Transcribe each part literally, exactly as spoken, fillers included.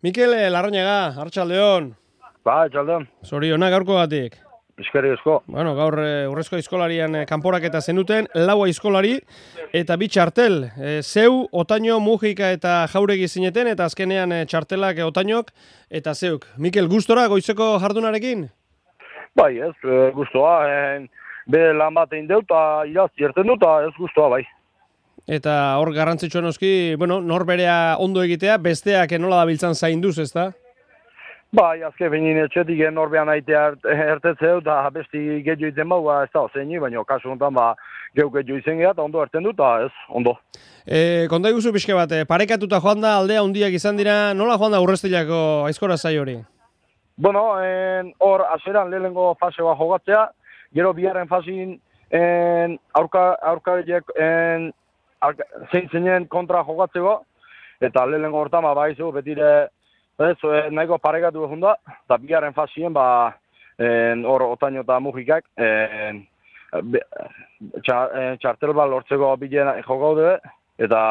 Mikel Larrañaga, Arratsaldeon. Ba, Arratsaldeon. Zoriona gaurkogatik. Eskerrik asko. Bueno, gaur e, urrezko aizkolarian e, kanporaketa zenuten, lau aizkolari eta bi txartel. E, zeu, Otaño, Mujika eta Jauregi zineten, eta azkenean e, txartelak e, Otañok eta zeuk. Mikel, gustora goizeko jardunarekin? Bai, ez, e, gustoa. E, be lan bat egin dut, eta irazti erten dut, eta ez gustoa, bai. Eta hor garrantzitsua noski, bueno, norberea ondo egitea, besteak nola dabiltzan zainduz, ezta? Bai, azke behin etxetik norbean aitea ertetzeu, eta besti gehiago iten bau, ez da, zeini, baina kasu honetan, ba, gehu gehiago izen geha, eta ondo erten dut, eta ez, ondo. E, konta iguzu pixke bat, parekatuta joan da, aldea handiak izan dira, nola joan da urrestilako aizkora zai hori? Bueno, en, hor, aseran lehenengo fase bat jogatzea, gero biharren fasin en, aurka, aurka en, zein zeinen kontra jogatzeko, eta lehenengo hortan, ba, baizu, betire, ez, nahiko parekatu egun da, eta bigarren fasien, ba, hor, Otaño eta Mujikak, en, be, txar, txartel bat lortzeko bilen jokaude, eta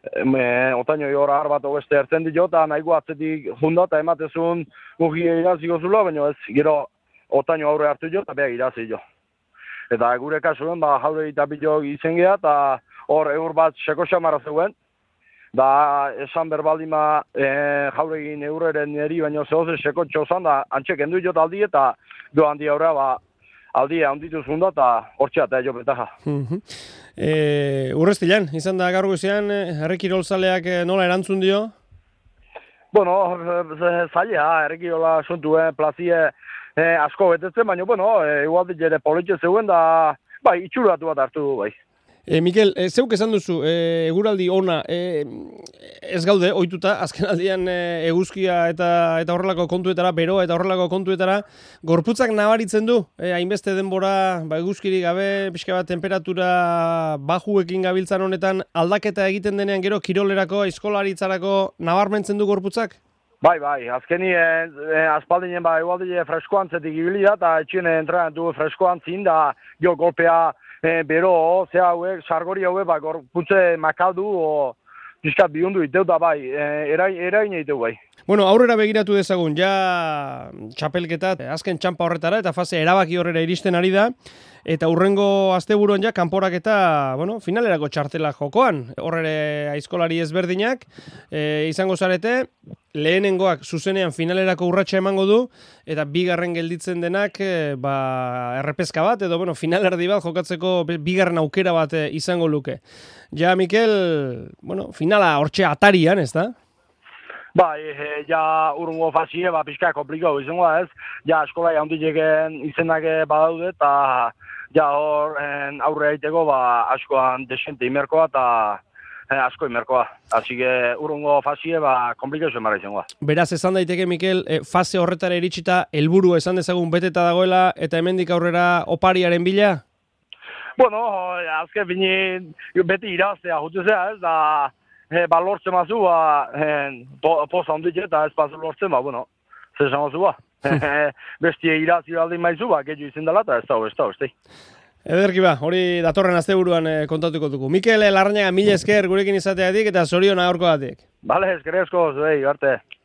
e, Otaño hor har bat ogeste ertzen dio, eta nahiko atzetik junda, eta ematezun Mujik iraziko zula, baina ez, gero Otaño aurre hartu jo, eta beha irazi jo. Eta gure kasuen, ba, jaure eta bilo izen geha, eta hor eur bat seko xamarra zeuen, da esan berbaldima e, jauregin eureren eri, baina zehoze seko txozan, da antxek endu jota aldi, eta do handi aurrea, ba, aldia handitu zunda, eta hortxea, eta jo betaja. e, Urrestilan, izan da gaur goizean, herri kirolzaleak nola erantzun dio? Bueno, zaila, herri kirola suntuen plazie e, asko betetzen, baina, bueno, e, igualdik ere politxe zeuen, da, bai, itxuratu bat hartu du, bai. E, Mikel, e, zeuk esan duzu, e, eguraldi ona, e, ez gaude, ohituta, azken aldian e, eguzkia eta eta horrelako kontuetara, beroa eta horrelako kontuetara, gorputzak nabaritzen du, e, hainbeste denbora, ba, eguzkiri gabe, pixka bat temperatura bajuekin gabiltzan honetan, aldaketa egiten denean gero kirolerako, aizkolaritzarako nabarmentzen du gorputzak? Bai, bai, azkeni e, e, aspaldinen ba, egualdi freskoan zetik ibili da, eta etxien entrenatu freskoan zin, da, jo, golpea, E, bero, ze hauek, sargori hauek, ba, gorputze makaldu, o, pixkat bihundu iteu da bai, e, erain, erain iteu bai. Bueno, aurrera begiratu dezagun, ja txapelketat, azken txampa horretara, eta fase erabaki horrera iristen ari da, eta hurrengo asteburuan ja, kanporaketa, bueno, finalerako txartela jokoan, horre aizkolari ezberdinak, e, izango zarete, lehenengoak zuzenean finalerako urratsa emango du, eta bigarren gelditzen denak, e, ba, errepezka bat, edo, bueno, finalerdi bat jokatzeko bigarren aukera bat e, izango luke. Ja, Mikel, bueno, finala hortxe atarian, ez da? Ba, e, ja urungo fasie, ba, pixka komplikau izango da ez, ja eskolai handileken izenak badaude, eta ja hor en, aurre aiteko, ba, askoan desente imerkoa, eta e, asko imerkoa. Asi que urungo fasie, ba, komplikau zen izango da. Beraz, esan daiteke, Mikel, e, fase horretara iritsita, helburu esan dezagun beteta dagoela, eta hemendik aurrera opariaren bila? Bueno, azke bini beti iraztea jutuzea ez, da... E, ba, lortzen mazu, ba, e, po, poza hondik eta ez pazu lortzen, ba, bueno, zer esan mazu, ba. Bestie irazi baldin maizu, ba, gehiago izin dela, eta ez da, ez da, ez da. Ederki ba, hori datorren asteburuan e, kontatuko dugu. Mikel Larrañaga, mila esker gurekin izateatik eta zoriona gaurkoagatik. Bale, eskerrezko, zuei, arte.